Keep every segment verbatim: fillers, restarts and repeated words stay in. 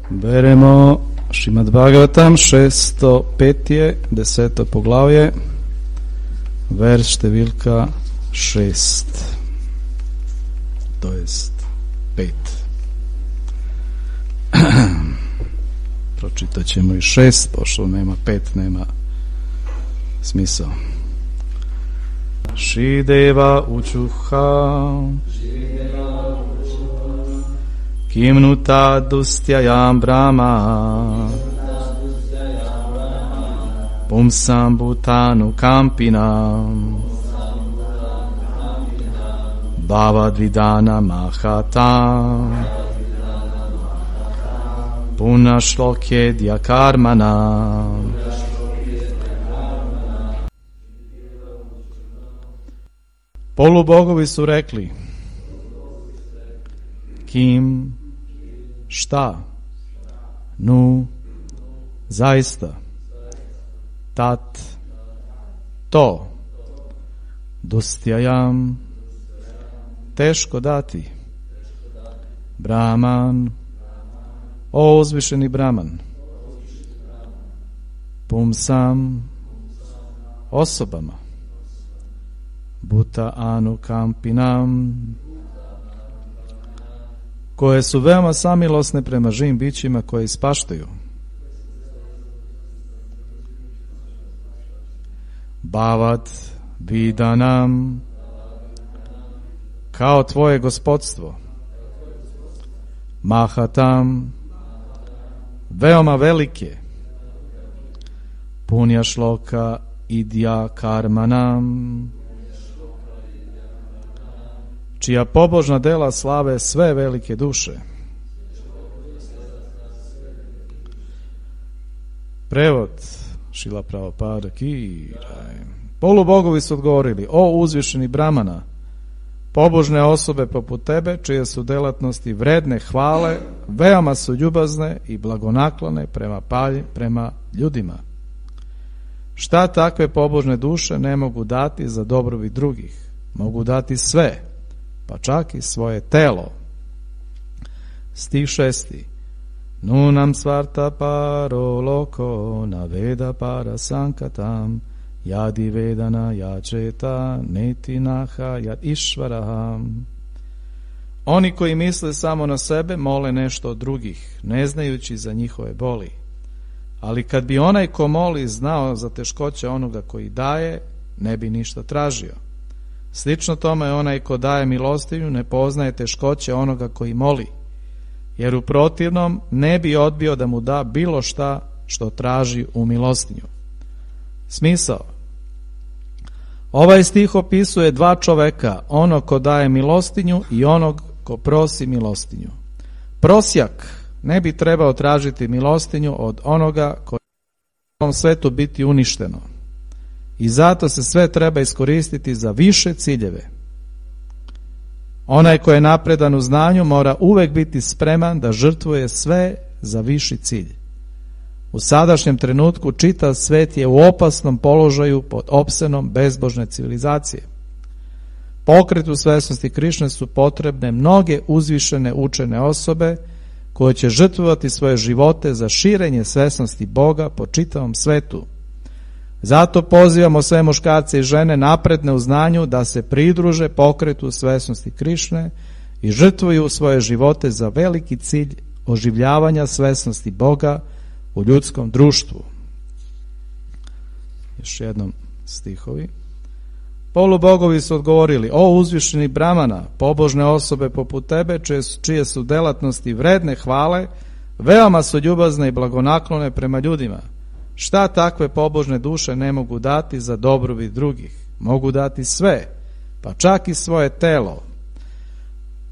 Beremo Šrimad Bhagavatam, šesto petje, deseto poglavje, vers številka šest, to jest pet. Pročitat ćemo i šest, pošto nema pet, nema smisao. Šrideva učuha Kimnuta dustjayam brahma Pumsam bhutanu kampinam Bhavadvidana mahatam Punashlokjedya karmana. Polubogovi su rekli: Kim, šta, nu, zaista, tat, to, dostjajam, teško dati, Brahman, o uzvišeni Brahman, pumsam, osobama, Bhuta anu kampinam, koje su veoma samilosne prema živim bićima koje ispaštaju. Bhavad vidanam, kao tvoje gospodstvo. Mahatam, veoma velike. Punja šloka idja karmanam, čija pobožna dela slave sve velike duše. Prevod Šrila Prabhupada ki. Polubogovi su odgovorili: o uzvišeni Brahmana, pobožne osobe poput tebe, čije su delatnosti vredne hvale, veoma su ljubazne i blagonaklone prema palji, prema ljudima. Šta takve pobožne duše ne mogu dati za dobrobit drugih? Mogu dati sve, pa čak i svoje telo. Stih šesti. Nunam svarta paro loko na veda para sankatam jadi vedana jačeta neti naha jad išvaraham. Oni koji misle samo na sebe mole nešto od drugih, ne znajući za njihove boli. Ali kad bi onaj ko moli znao za teškoće onoga koji daje, ne bi ništa tražio. Slično tome onaj ko daje milostinju ne poznaje teškoće onoga koji moli, jer u protivnom ne bi odbio da mu da bilo šta što traži u milostinju. Smisao. Ovaj stih opisuje dva čoveka, onog ko daje milostinju i onog ko prosi milostinju. Prosjak ne bi trebao tražiti milostinju od onoga koji će u ovom svetu biti uništeno. I zato se sve treba iskoristiti za više ciljeve. Onaj ko je napredan u znanju mora uvek biti spreman da žrtvuje sve za viši cilj. U sadašnjem trenutku čitav svet je u opasnom položaju pod opsenom bezbožne civilizacije. Pokretu svesnosti Krišne su potrebne mnoge uzvišene učene osobe koje će žrtvovati svoje živote za širenje svesnosti Boga po čitavom svetu. Zato pozivamo sve muškarce i žene napredne u znanju da se pridruže pokretu svesnosti Krišne i žrtvuju svoje živote za veliki cilj oživljavanja svesnosti Boga u ljudskom društvu. Još jednom stihovi. Polubogovi su odgovorili: o uzvišeni Brahmana, pobožne osobe poput tebe, čije su, čije su delatnosti vredne hvale, veoma su ljubazne i blagonaklone prema ljudima. Šta takve pobožne duše ne mogu dati za dobrobit drugih? Mogu dati sve, pa čak i svoje telo.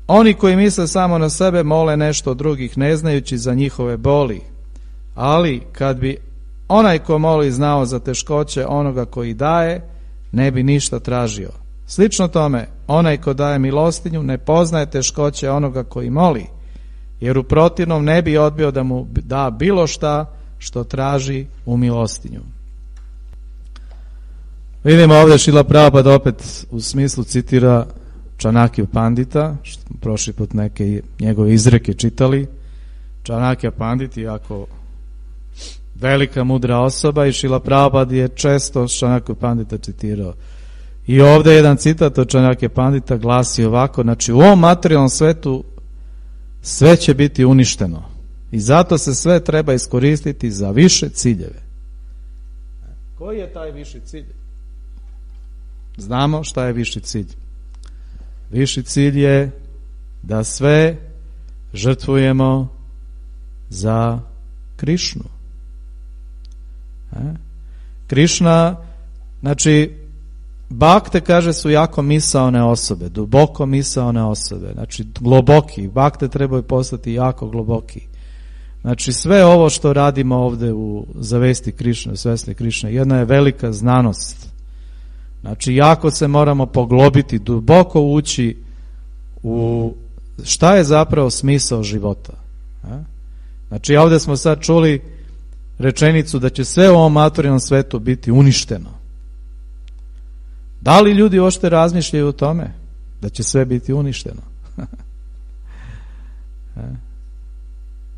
Oni koji misle samo na sebe mole nešto od drugih, ne znajući za njihove boli. Ali kad bi onaj ko moli znao za teškoće onoga koji daje, ne bi ništa tražio. Slično tome, onaj ko daje milostinju ne poznaje teškoće onoga koji moli, jer u protivnom ne bi odbio da mu da bilo šta što traži u milostinju. Vidimo ovdje Šrila Prabhupada opet u smislu citira Čanakiju Pandita, što smo prošli put neke njegove izreke čitali, Čanakja Pandit je jako velika mudra osoba i Šrila Prabhupada je često Čanakju Pandita citirao. I ovdje jedan citat od Čanakja Pandita glasi ovako, znači u ovom materijalnom svetu sve će biti uništeno i zato se sve treba iskoristiti za više ciljeve. Koji je taj viši cilj? Znamo šta je viši cilj. Viši cilj je da sve žrtvujemo za Krišnu. Krišna, znači bakte, kaže, su jako misaone osobe, duboko misaone osobe, znači globoki, bakte trebaju postati jako globoki. Znači sve ovo što radimo ovdje u zavesti Krišne, svesni Krišne, jedna je velika znanost. Znači jako se moramo poglobiti, duboko ući u šta je zapravo smisao života. Znači ovdje smo sad čuli rečenicu da će sve u ovom materijalnom svetu biti uništeno. Da li ljudi uopšte razmišljaju o tome da će sve biti uništeno?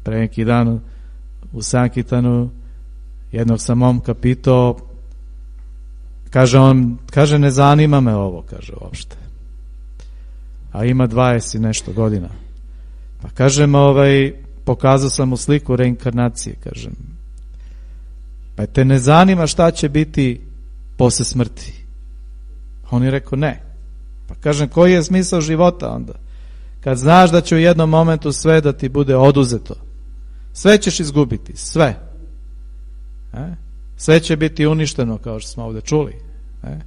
Pre neki dan u Sankitanu jednog sam momka pitao, kaže on, kaže ne zanima me ovo, kaže uopšte. A ima dvadeset i nešto godina. Pa kažem, ovaj, pokazao sam mu sliku reinkarnacije, kažem. Pa te ne zanima šta će biti posle smrti? On je rekao ne. Pa kažem, koji je smisao života onda? Kad znaš da će u jednom momentu sve da ti bude oduzeto. Sve ćeš izgubiti, sve. E? Sve će biti uništeno, kao što smo ovdje čuli. E?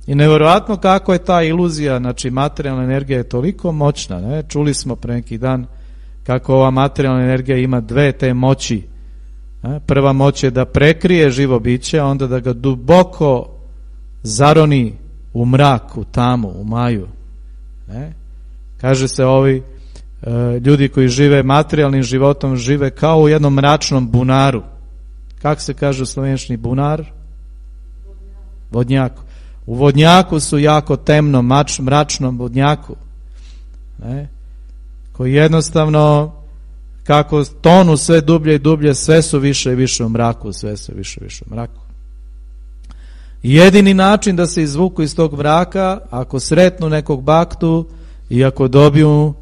I nevjerojatno kako je ta iluzija, znači materijalna energija je toliko moćna. Ne? Čuli smo pre neki dan kako ova materijalna energija ima dve te moći. E? Prva moć je da prekrije živo biće, a onda da ga duboko zaroni u mrak, u tamu, u maju. Ne? Kaže se ovi e, ljudi koji žive materijalnim životom žive kao u jednom mračnom bunaru. Kako se kaže u slovenščini bunar? Vodnjaku. U vodnjaku su jako temno, mač, mračnom vodnjaku. Ne? Koji jednostavno kako tonu sve dublje i dublje, sve su više i više u mraku, sve su više i više u mraku. Jedini način da se izvuku iz tog mraka, ako sretnu nekog baktu i ako dobiju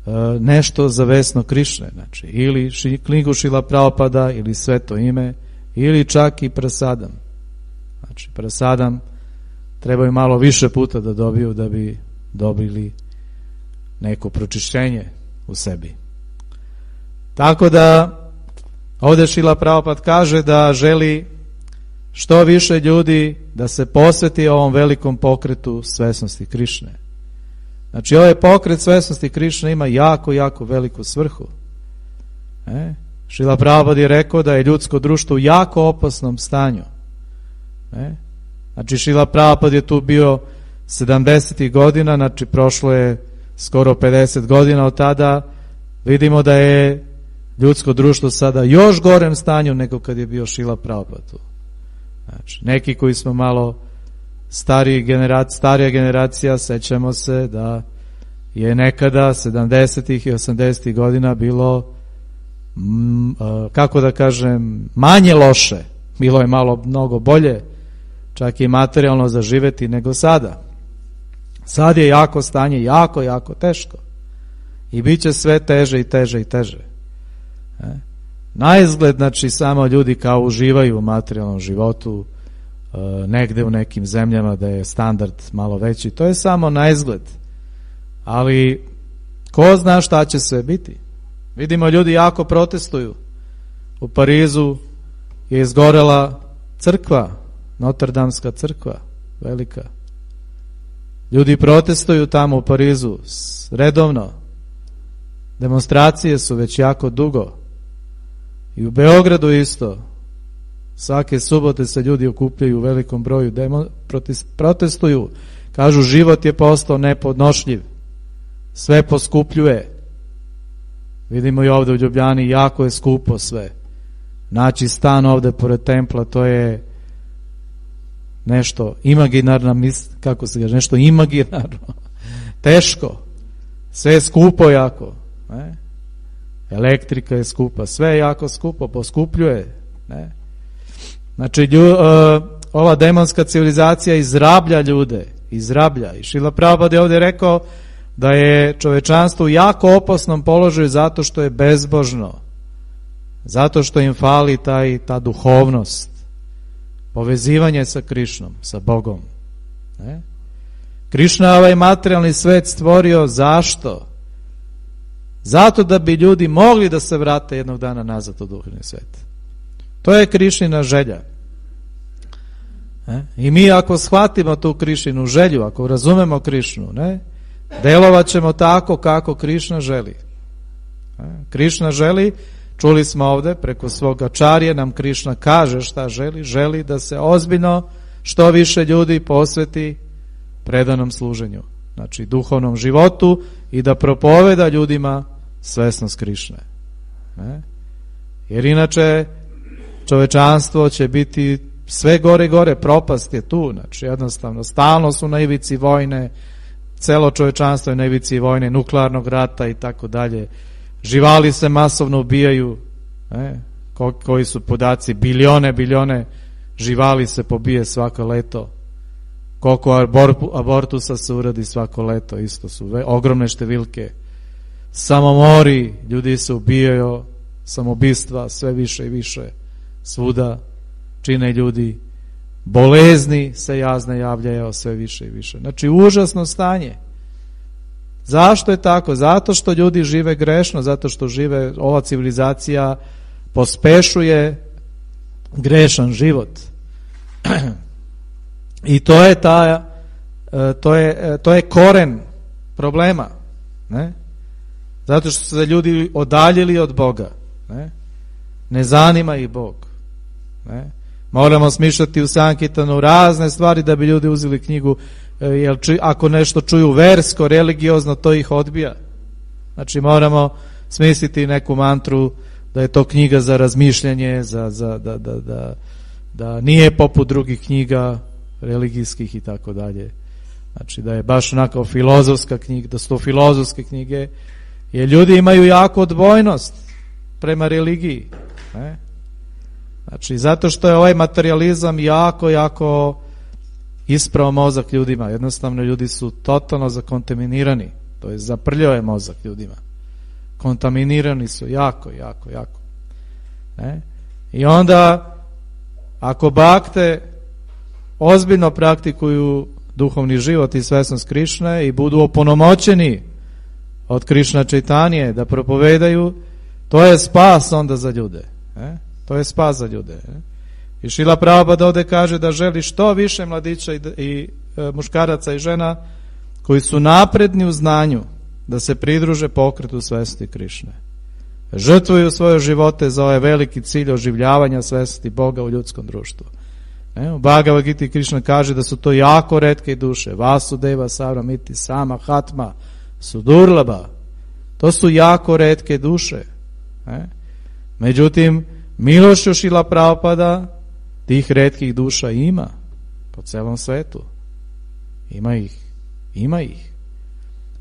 e, nešto za vesno Krišne, znači ili ši, knjigu Šrila Prabhupada ili sveto ime, ili čak i prasadam. Znači prasadam trebaju malo više puta da dobiju da bi dobili neko pročišćenje u sebi. Tako da ovdje Šrila Prabhupada kaže da želi što više ljudi da se posveti ovom velikom pokretu svesnosti Krišne. Znači ovaj pokret svesnosti Krišne ima jako, jako veliku svrhu. E? Šrila Prabhupada je rekao da je ljudsko društvo u jako opasnom stanju. E? Znači Šrila Prabhupada je tu bio sedamdesetih godina, znači prošlo je skoro pedeset godina od tada. Vidimo da je ljudsko društvo sada još gorem stanju nego kad je bio Šrila Prabhupada tu. Znači, neki koji smo malo stariji generacija, starija generacija, sećamo se da je nekada sedamdesetih i osamdesetih godina bilo m, kako da kažem manje loše, bilo je malo mnogo bolje, čak i materijalno zaživeti nego sada. Sad je jako stanje, jako, jako teško i bit će sve teže i teže i teže. E? Na izgled, znači, samo ljudi kao uživaju u materijalnom životu, e, negde u nekim zemljama da je standard malo veći, to je samo na izgled. Ali ko zna šta će sve biti? Vidimo, ljudi jako protestuju. U Parizu je izgorela crkva, Notrdamska crkva, velika. Ljudi protestuju tamo u Parizu redovno. Demonstracije su već jako dugo. I u Beogradu isto. Svake subote se ljudi okupljaju u velikom broju, demo, protestuju. Kažu, život je postao nepodnošljiv. Sve poskupljuje. Vidimo i ovdje u Ljubljani, jako je skupo sve. Naći stan ovdje pored templa, to je nešto imaginarno, kako se kaže, nešto imaginarno. Teško. Sve je skupo jako. Ne? elektrika je skupa, sve je jako skupo, poskupljuje. Ne? Znači, lju, uh, ova demonska civilizacija izrablja ljude, izrablja. I Šrila Prabhupada je ovdje rekao da je čovečanstvo u jako opasnom položaju zato što je bezbožno, zato što im fali taj, ta duhovnost, povezivanje sa Krišnom, sa Bogom. Ne? Krišna je ovaj materijalni svet stvorio zašto? Zato da bi ljudi mogli da se vrate jednog dana nazad u duhovni svet. To je Krišnina želja. Ne? I mi ako shvatimo tu Krišninu želju, ako razumemo Krišnu, ne, delovat ćemo tako kako Krišna želi. Ne? Krišna želi, čuli smo ovdje, preko svoga čarje nam Krišna kaže šta želi, želi da se ozbiljno što više ljudi posveti predanom služenju, znači duhovnom životu i da propoveda ljudima svesnost Krišne. Ne? Jer inače čovečanstvo će biti sve gore i gore, propast je tu, znači jednostavno stalno su na ivici vojne, celo čovečanstvo je na ivici vojne, nuklearnog rata i tako dalje. Živali se masovno ubijaju, ne? Ko, koji su podaci, bilione, bilione živali se pobije svako leto. Koliko abor, abortusa se uradi svako leto, isto su ve, ogromne številke. Samomori, ljudi se ubijaju, samobistva sve više i više svuda čine ljudi, bolezni se jazne javljaju sve više i više. Znači užasno stanje. Zašto je tako? Zato što ljudi žive grešno, zato što žive, ova civilizacija pospešuje grešan život. I to je ta, to je, to je koren problema. Ne? Zato što su se ljudi odaljili od Boga. Ne, ne zanima ih Bog. Ne? Moramo smišljati u Sankirtanu razne stvari da bi ljudi uzeli knjigu, jer ču, ako nešto čuju versko, religiozno, to ih odbija. Znači moramo smisliti neku mantru da je to knjiga za razmišljanje, za, za, da, da, da, da nije poput drugih knjiga religijskih i tako dalje. Znači da je baš onako filozofska knjiga, da su to filozofske knjige, jer ljudi imaju jako odbojnost prema religiji. Ne? Znači zato što je ovaj materializam jako, jako isprao mozak ljudima. Jednostavno ljudi su totalno zakontaminirani. To je zaprljao je mozak ljudima. Kontaminirani su jako, jako, jako. Ne? I onda ako bakte ozbiljno praktikuju duhovni život i svesnost Krišne i budu opunomoćeni od Krišna Čaitanije da propovedaju, to je spas onda za ljude. Ne? To je spas za ljude. Ne? I Šrila Prabhupada ovdje kaže da želi što više mladića i, i e, muškaraca i žena koji su napredni u znanju da se pridruže pokretu svesti Krišne. Žrtvuju svoje živote za ovaj veliki cilj oživljavanja svesti Boga u ljudskom društvu. Ne? U Bhagavad Giti Krišna kaže da su to jako retke duše. Vasudeva, Savramiti, Sama, Hatma, Sudurlaba. To su jako retke duše. Ne? Međutim, milošću Šrila Prabhupada tih retkih duša ima po celom svetu. Ima ih. Ima ih.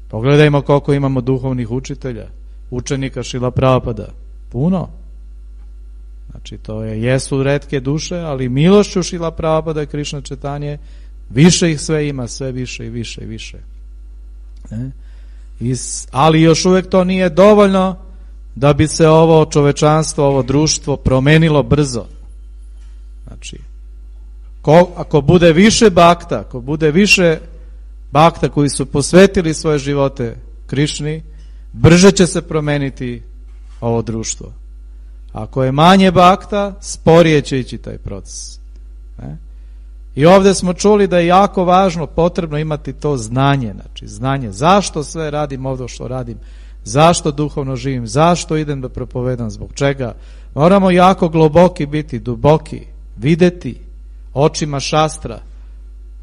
Pogledajmo koliko imamo duhovnih učitelja, učenika Šrila Prabhupada. Puno. Znači to je, jesu retke duše, ali milošću Šrila Prabhupada i Krišna Čaitanije više ih sve ima, sve više i više i više. Ne? I, ali još uvijek to nije dovoljno da bi se ovo čovečanstvo, ovo društvo promenilo brzo. Znači, ko, ako bude više bakta, ako bude više bakta koji su posvetili svoje živote Krišni, brže će se promeniti ovo društvo. Ako je manje bakta, sporije će ići taj proces. Ne? I ovdje smo čuli da je jako važno, potrebno imati to znanje. Znači, znanje. Zašto sve radim ovdje što radim? Zašto duhovno živim? Zašto idem da propovedam? Zbog čega? Moramo jako globoki biti, duboki, videti očima šastra.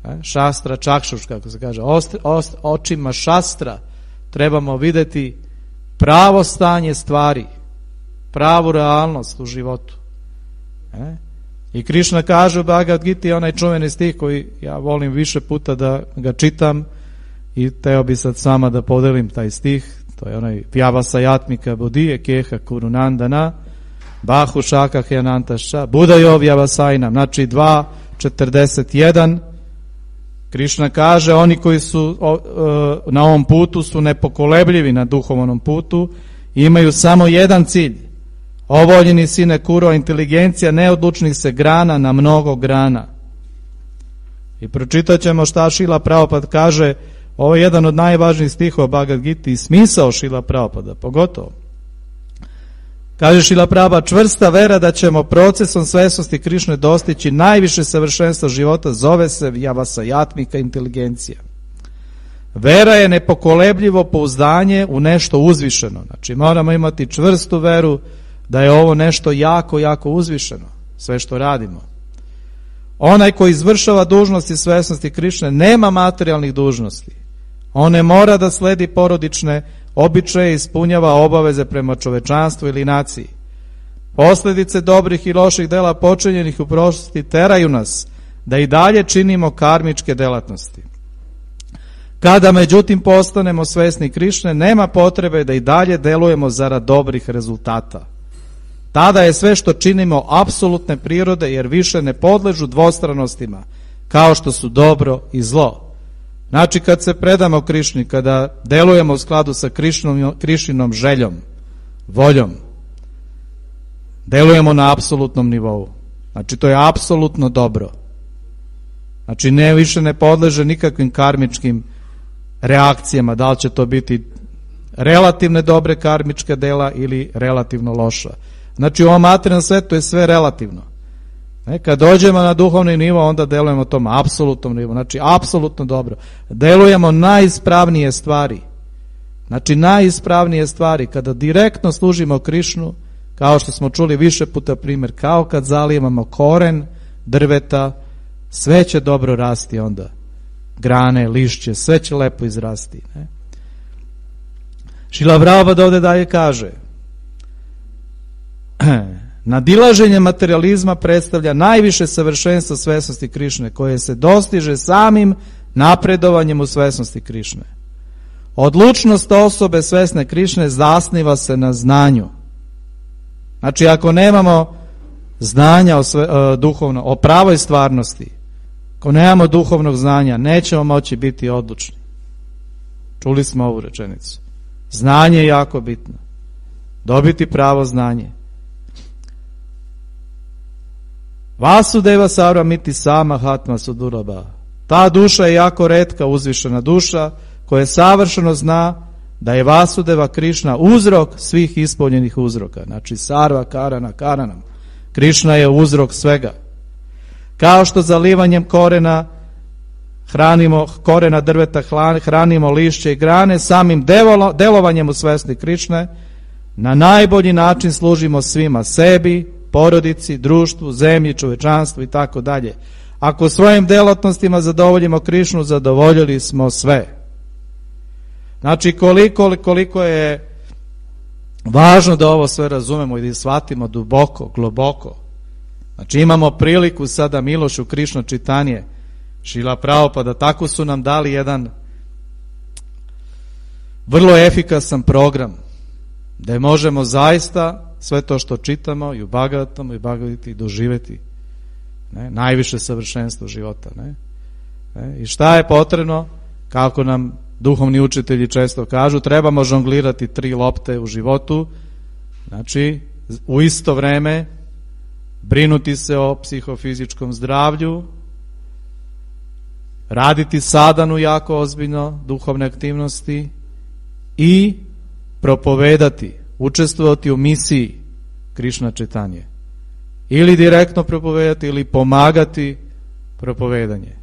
Ne? Šastra, čakšuš, kako se kaže. Ost, ost, očima šastra trebamo videti pravo stanje stvari, pravu realnost u životu. Ne? I Krišna kaže u Bhagavad Giti onaj čuveni stih koji ja volim više puta da ga čitam i teo bi sad sama da podelim taj stih. To je onaj Vyavasayatmika Bodhije Keha Kurunandana Bahu Šaka Hyanantaša Budajo Vyavasajnam. Znači dva četrdeset jedan Krišna kaže oni koji su o, e, na ovom putu su nepokolebljivi na duhovnom putu i imaju samo jedan cilj. Ovoljeni sine Kuro, inteligencija neodlučnih se grana na mnogo grana. I pročitat ćemo šta Šila Prabhupada kaže. Ovo je jedan od najvažnijih stihova Bhagavad Gita i smisao Šila Prabhupada, pogotovo. Kaže Šila Prabhupada, čvrsta vera da ćemo procesom svesnosti Krišne dostići najviše savršenstvo života zove se Vyavasayatmika inteligencija. Vera je nepokolebljivo pouzdanje u nešto uzvišeno. Znači moramo imati čvrstu veru da je ovo nešto jako, jako uzvišeno, sve što radimo. Onaj koji izvršava dužnosti svesnosti Krišne nema materijalnih dužnosti. On ne mora da sledi porodične običaje i ispunjava obaveze prema čovečanstvu ili naciji. Posljedice dobrih i loših dela počinjenih u prošlosti teraju nas da i dalje činimo karmičke delatnosti. Kada međutim postanemo svesni Krišne, nema potrebe da i dalje delujemo zarad dobrih rezultata. Tada je sve što činimo apsolutne prirode jer više ne podležu dvostranostima kao što su dobro i zlo. Znači kad se predamo Krišni, kada delujemo u skladu sa Krišnom, Krišinom željom, voljom, delujemo na apsolutnom nivou. Znači to je apsolutno dobro. Znači ne više ne podleže nikakvim karmičkim reakcijama, da li će to biti relativne dobre karmička dela ili relativno loša. Znači u ovom materijalnom svetu je sve relativno. E, kad dođemo na duhovni nivo, onda delujemo tom apsolutnom nivu. Znači apsolutno dobro. Delujemo najispravnije stvari. Znači najispravnije stvari. Kada direktno služimo Krišnu, kao što smo čuli više puta primjer, kao kad zalijevamo koren drveta, sve će dobro rasti onda. Grane, lišće, sve će lepo izrasti. Ne? Šila Prabhupada ovdje dalje kaže nadilaženje materializma predstavlja najviše savršenstvo svesnosti Krišne koje se dostiže samim napredovanjem u svesnosti Krišne. Odlučnost osobe svesne Krišne zasniva se na znanju. Znači ako nemamo znanja o, sve, o, duhovno, o pravoj stvarnosti, ako nemamo duhovnog znanja, nećemo moći biti odlučni. Čuli smo ovu rečenicu. Znanje je jako bitno. Dobiti pravo znanje. Vasudeva Sarvamiti sama hatma suduraba. Ta duša je jako retka, uzvišena duša koja savršeno zna da je Vasudeva Krišna uzrok svih ispunjenih uzroka. Znači sarva karana karanam. Krišna je uzrok svega. Kao što zalivanjem korena hranimo korena drveta, hranimo lišće i grane, samim delovanjem u svesni Krišne na najbolji način služimo svima, sebi, porodici, društvu, zemlji, čovečanstvu i tako dalje. Ako svojim delatnostima zadovoljimo Krišnu, zadovoljili smo sve. Znači koliko, koliko je važno da ovo sve razumemo i da shvatimo duboko, globoko. Znači imamo priliku sada Milošu Krišno čitanje Šila Prabhupada, tako su nam dali jedan vrlo efikasan program da možemo zaista sve to što čitamo i u Bhagavatam i Bhagavati doživjeti, ne, najviše savršenstvo života. Ne? Ne? I šta je potrebno, kako nam duhovni učitelji često kažu, trebamo žonglirati tri lopte u životu, znači u isto vreme brinuti se o psihofizičkom zdravlju, raditi sadanu jako ozbiljno, duhovne aktivnosti i propovedati, učestvovati u misiji Krišna čitanje. Ili direktno propovedati ili pomagati propovedanje.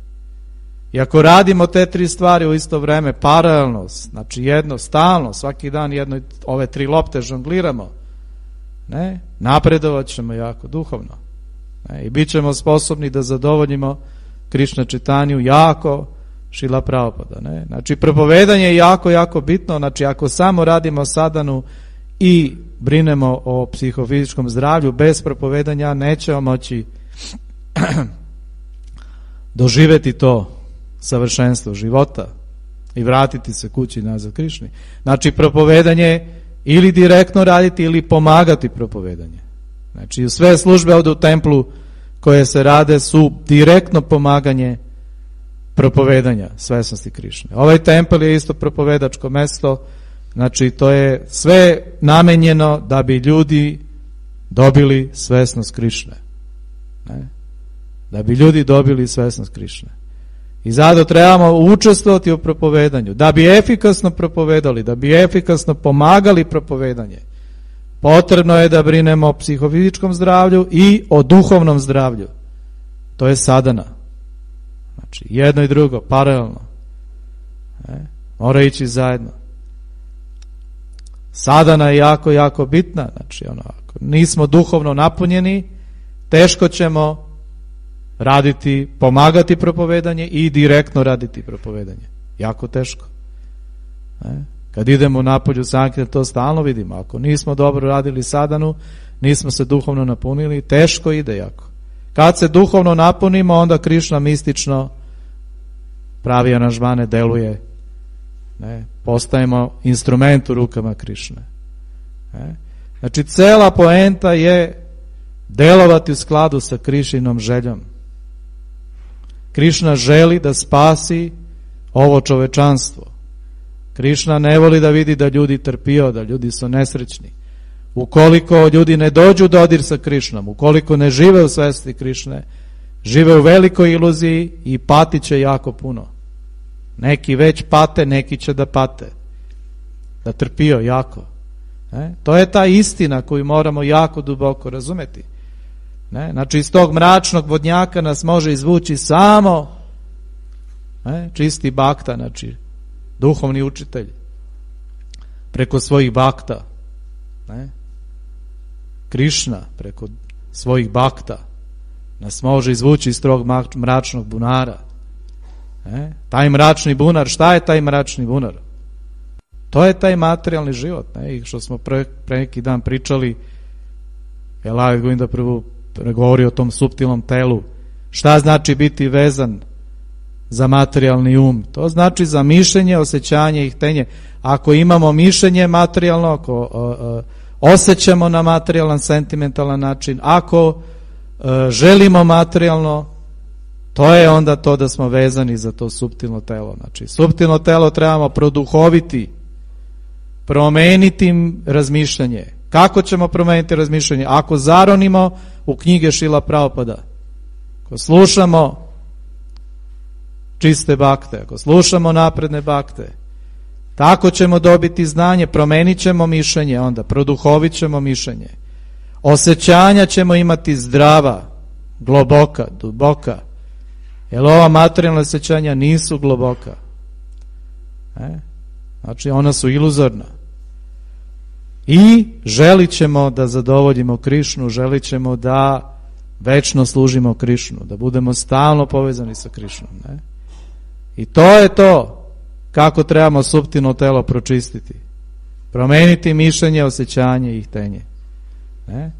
I ako radimo te tri stvari u isto vreme, paralelno, znači jedno, stalno, svaki dan jedno, ove tri lopte žongliramo, ne, napredovat ćemo jako duhovno. Ne, i bit ćemo sposobni da zadovoljimo Krišna čitanju jako Šila Prabhupada. Ne? Znači propovedanje je jako, jako bitno. Znači ako samo radimo sadanu i brinemo o psihofizičkom zdravlju, bez propovedanja nećemo moći doživjeti to savršenstvo života i vratiti se kući nazad Krišni. Znači propovedanje ili direktno raditi ili pomagati propovedanje. Znači sve službe ovdje u templu koje se rade su direktno pomaganje propovedanja svesnosti Krišne. Ovaj tempel je isto propovedačko mesto, znači to je sve namenjeno da bi ljudi dobili svesnost Krišne. Ne? Da bi ljudi dobili svesnost Krišne. I zato trebamo učestvovati u propovedanju, da bi efikasno propovedali, da bi efikasno pomagali propovedanje. Potrebno je da brinemo o psihofizičkom zdravlju i o duhovnom zdravlju. To je sadana. Znači, jedno i drugo, paralelno. E, mora ići zajedno. Sadana je jako, jako bitna. Znači, ono, ako nismo duhovno napunjeni, teško ćemo raditi, pomagati propovedanje i direktno raditi propovedanje. Jako teško. E, kad idemo napolju sankirtan, to stalno vidimo. Ako nismo dobro radili sadanu, nismo se duhovno napunili, teško ide jako. Kad se duhovno napunimo, onda Krišna mistično pravi aranžmane, deluje. Ne? Postajemo instrument u rukama Krišne. Ne? Znači, cela poenta je delovati u skladu sa Krišinom željom. Krišna želi da spasi ovo čovečanstvo. Krišna ne voli da vidi da ljudi trpio, da ljudi su nesrećni. Ukoliko ljudi ne dođu u dodir sa Krišnom, ukoliko ne žive u svesti Krišne, žive u velikoj iluziji i patit će jako puno. Neki već pate, neki će da pate. Da trpio jako. Ne? To je ta istina koju moramo jako duboko razumeti. Ne? Znači iz tog mračnog vodnjaka nas može izvući samo ne? čisti bakta, znači duhovni učitelj preko svojih bakta. Ne? Krišna preko svojih bakta nas može izvući iz tog mračnog bunara. Ne? Taj mračni bunar, šta je taj mračni bunar? To je taj materijalni život, ne? I što smo pre, pre neki dan pričali, Elavi Govinda prvo govori o tom suptilnom telu. Šta znači biti vezan za materijalni um? To znači za mišljenje, osjećanje i htenje. Ako imamo mišljenje materijalno, ako uh, uh, osjećamo na materijalan, sentimentalan način, ako uh, želimo materijalno, to je onda to da smo vezani za to suptilno telo. Znači, suptilno telo trebamo produhoviti, promeniti razmišljanje. Kako ćemo promeniti razmišljanje? Ako zaronimo u knjige Šrila Prabhupada, ako slušamo čiste bakte, ako slušamo napredne bakte, tako ćemo dobiti znanje, promenit ćemo mišljenje, onda produhovit ćemo mišljenje. Osjećanja ćemo imati zdrava, globoka, duboka, jer ova materijalna osjećanja nisu globoka. E? Znači ona su iluzorna. I želit ćemo da zadovoljimo Krišnu, želit ćemo da večno služimo Krišnu, da budemo stalno povezani sa Krišnom. Ne? I to je to kako trebamo suptilno telo pročistiti. Promeniti mišljenje, osjećanje i htenje. Ne?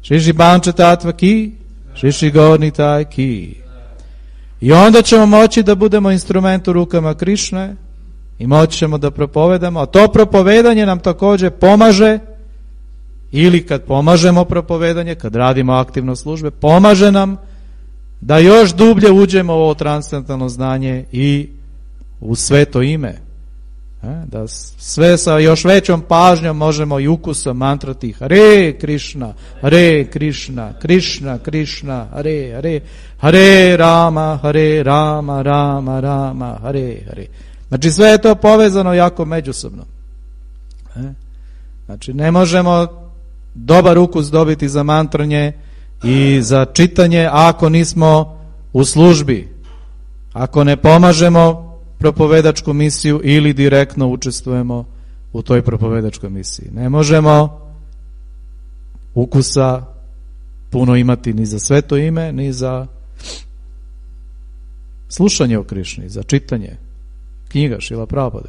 Šiši banča tatva ki, šiši gorni taj ki. I onda ćemo moći da budemo instrument u rukama Krišne i moći ćemo da propovedamo, a to propovedanje nam također pomaže, ili kad pomažemo propovedanje, kad radimo aktivno službe, pomaže nam da još dublje uđemo u ovo transcendentalno znanje i u sveto ime. Da sve sa još većom pažnjom možemo i ukusom mantrati Hare Krišna, Hare Krišna, Krišna, Krišna, Hare, Hare, Hare Rama, Hare Rama, Rama, Rama, Hare, Hare. Znači sve je to povezano jako međusobno. Znači ne možemo dobar ukus dobiti za mantranje i za čitanje ako nismo u službi, ako ne pomažemo propovedačku misiju ili direktno učestvujemo u toj propovedačkoj misiji. Ne možemo ukusa puno imati ni za sveto ime, ni za slušanje o Krišni, za čitanje knjiga Šrila Prabhupada.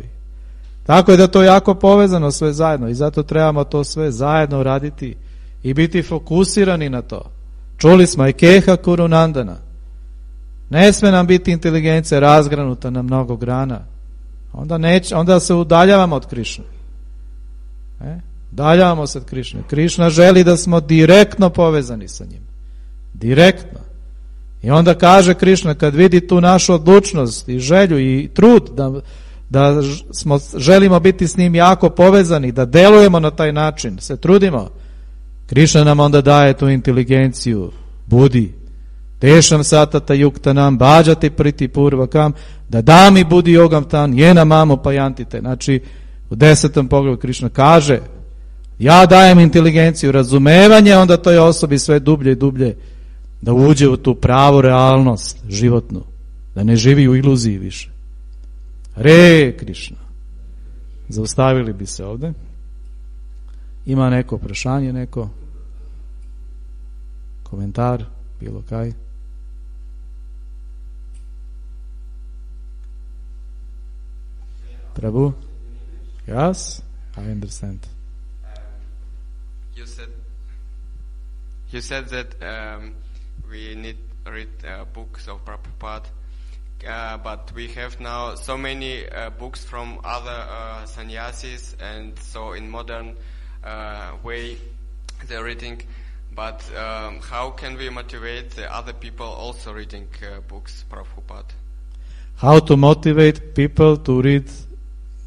Tako je da to jako povezano sve zajedno i zato trebamo to sve zajedno raditi i biti fokusirani na to. Čuli smo Ekeha Kurunandana. Ne sme nam biti inteligencija razgranuta na mnogo grana. onda, neć, onda se udaljavamo od Krišne. E? Udaljavamo se od Krišne. Krišna želi da smo direktno povezani sa njim. Direktno. I onda kaže Krišna, kad vidi tu našu odlučnost i želju i trud da, da smo, želimo biti s njim jako povezani, da delujemo na taj način, se trudimo, Krišna nam onda daje tu inteligenciju, budi, tešam satata yukta nam, bađati priti purvakam, da dami budi yogam tan, jena mamo pajantite. Znači, u desetom poglavlju Krišna kaže, ja dajem inteligenciju, razumevanje, onda toj osobi sve dublje i dublje da uđe u tu pravu realnost životnu, da ne živi u iluziji više. Re Krišna. Zaustavili bi se ovde. Ima neko prašanje, neko komentar, bilo kaj? Prabhu? Yes, I understand. Um, you said you said that um, we need to read uh, books of Prabhupada, uh, but we have now so many uh, books from other uh, sannyasis, and so in modern uh, way they're reading. But um, how can we motivate the other people also reading uh, books Prabhupada? How to motivate people to read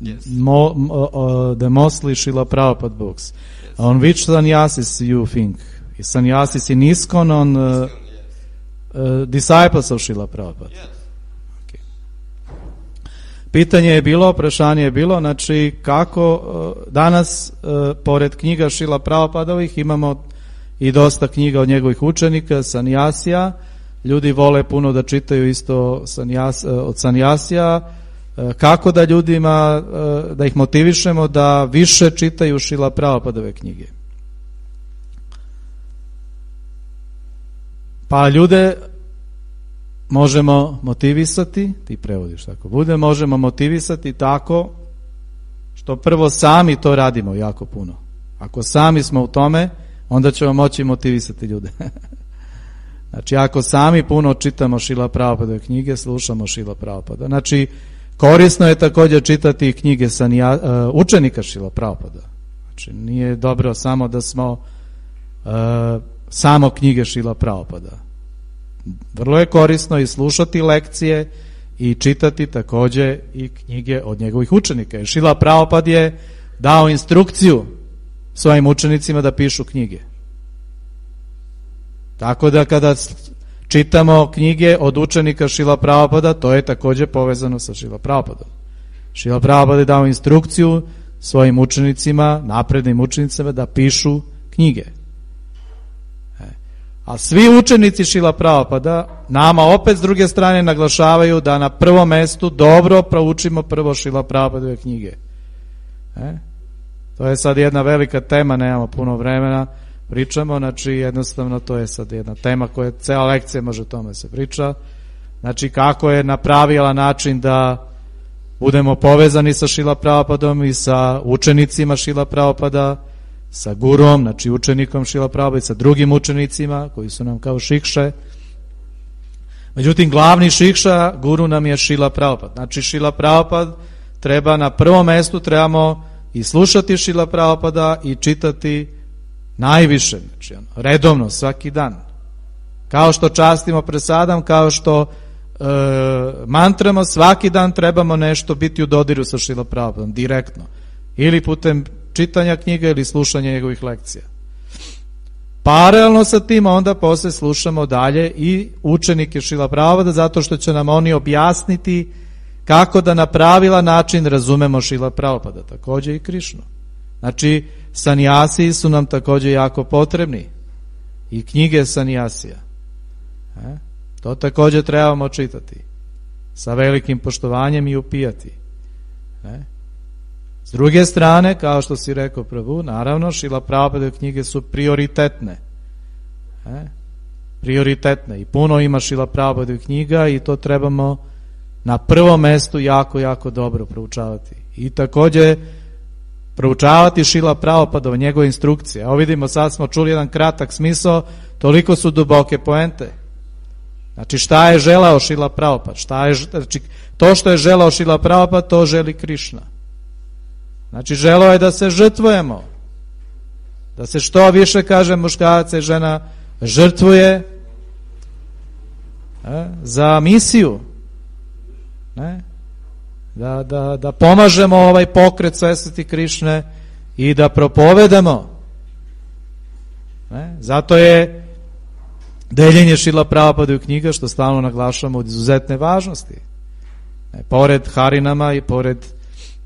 Yes. mo, uh, the mostly Srila Prabhupada books? Yes. On which sannyasis you think? Is sannyasis in ISKCON on uh, Yes. uh, disciples of Srila Prabhupada? Yes. Okay. Pitanje je bilo, prašanje je bilo, znači kako uh, danas uh, pored knjiga Srila Prabhupadovih imamo i dosta knjiga od njegovih učenika, sannjasija. Ljudi vole puno da čitaju isto sanjas, od sannjasija. Kako da ljudima, da ih motivišemo da više čitaju Srila Prabhupadove knjige? Pa ljude možemo motivisati, ti prevodiš tako bude, možemo motivisati tako što prvo sami to radimo jako puno. Ako sami smo u tome, onda ćemo moći motivisati ljude. Znači, ako sami puno čitamo Srila Prabhupadove knjige, slušamo Srila Prabhupada. Znači, korisno je također čitati knjige sanja, uh, učenika Srila Prabhupada. Znači, nije dobro samo da smo uh, samo knjige Srila Prabhupada. Vrlo je korisno i slušati lekcije i čitati također i knjige od njegovih učenika. Jer Srila Prabhupada je dao instrukciju svojim učenicima da pišu knjige. Tako da kada čitamo knjige od učenika Srila Prabhupada, to je također povezano sa Srila Prabhupadom. Srila Prabhupada je dao instrukciju svojim učenicima, naprednim učenicima da pišu knjige. A svi učenici Srila Prabhupada nama opet s druge strane naglašavaju da na prvom mestu dobro proučimo prvo Srila Prabhupadove knjige. E? To je sad jedna velika tema, nemamo puno vremena, pričamo, znači jednostavno to je sad jedna tema koja cela lekcija može o tome se priča. Znači kako je na pravilan način da budemo povezani sa Srila Prabhupadom i sa učenicima Srila Prabhupada, sa gurom, znači učenikom Srila Prabhupada i sa drugim učenicima koji su nam kao šikše. Međutim, glavni šikša, guru nam je Srila Prabhupada. Znači Srila Prabhupada treba na prvom mestu, trebamo i slušati Srila Prabhupada i čitati najviše, znači ono, redovno, svaki dan. Kao što častimo presadam, kao što e, mantramo, svaki dan trebamo nešto biti u dodiru sa Srila Prabhupadom, direktno. Ili putem čitanja knjiga ili slušanja njegovih lekcija. Paralelno sa tim onda posle slušamo dalje i učenike Srila Prabhupada, zato što će nam oni objasniti kako da na pravilan način razumemo Srila Prabhupada, također i Krišnu. Znači, sannjasi su nam također jako potrebni i knjige sannjasija. E? To također trebamo čitati sa velikim poštovanjem i upijati. E? S druge strane, kao što si rekao Prabhu, naravno, Srila Prabhupadove knjige su prioritetne. E? Prioritetne. I puno ima Srila Prabhupadove knjiga i to trebamo na prvom mestu jako, jako dobro proučavati. I također proučavati Srila Prabhupada, njegove instrukcije. Evo vidimo, sad smo čuli jedan kratak smisao, toliko su duboke poente. Znači šta je želao Šrila Prabhupada? Šta je, znači, to što je želao Šrila Prabhupada, to želi Krišna. Znači želao je da se žrtvujemo. Da se što više, kaže, muškarac i žena žrtvuje ne, za misiju. Ne? Da, da, da pomažemo ovaj pokret svesnosti Krišne i da propovedamo. Ne? Zato je deljenje Šrila Prabhupada u knjiga, što stalno naglašamo, od izuzetne važnosti. Ne? Pored harinama i pored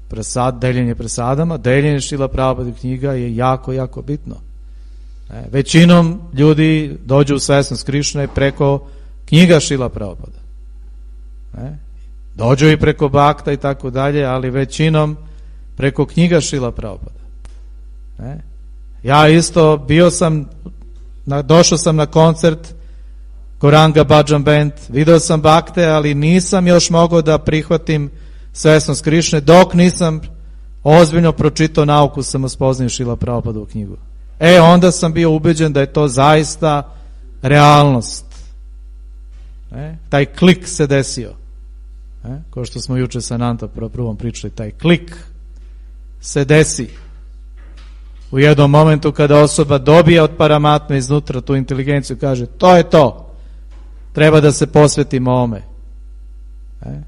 presad, deljenje presadama, deljenje Šrila Prabhupada u knjiga je jako, jako bitno. Ne? Većinom ljudi dođu u svesnost Krišne preko knjiga Šrila Prabhupada. Ne? Dođu i preko bakta i tako dalje, ali većinom preko knjiga Šrila Prabhupada. Ne? Ja isto bio sam, na, došao sam na koncert Goranga Bhajan Band, video sam bakte, ali nisam još mogao da prihvatim svesnost Krišne dok nisam ozbiljno pročitao nauku samospoznanja Šrila Prabhupada u knjigu. E, onda sam bio ubeđen da je to zaista realnost. Ne? Taj klik se desio. Ne? Kao što smo juče sa Nanta prvom pričali, taj klik se desi u jednom momentu kada osoba dobije od Paramatme iznutra tu inteligenciju, kaže to je to, treba da se posvetimo ovome. Ne?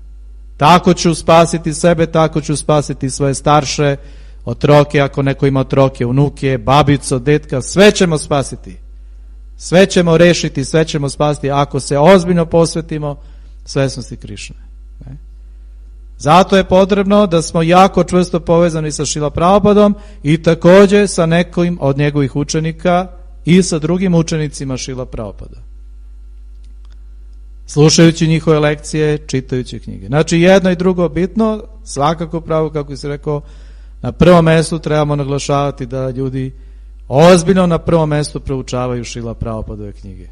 Tako ću spasiti sebe, tako ću spasiti svoje starše, otroke, ako neko ima otroke, unuke, babico, detka, sve ćemo spasiti. Sve ćemo rešiti, sve ćemo spasiti ako se ozbiljno posvetimo svesnosti Krišne. Ne? Zato je potrebno da smo jako čvrsto povezani sa Šrila Prabhupadom i također sa nekim od njegovih učenika i sa drugim učenicima Šrila Prabhupada. Slušajući njihove lekcije, čitajući knjige. Znači jedno i drugo bitno, svakako pravo, kako si rekao, na prvom mjestu trebamo naglašavati da ljudi ozbiljno na prvom mjestu proučavaju Šrila Prabhupadove knjige.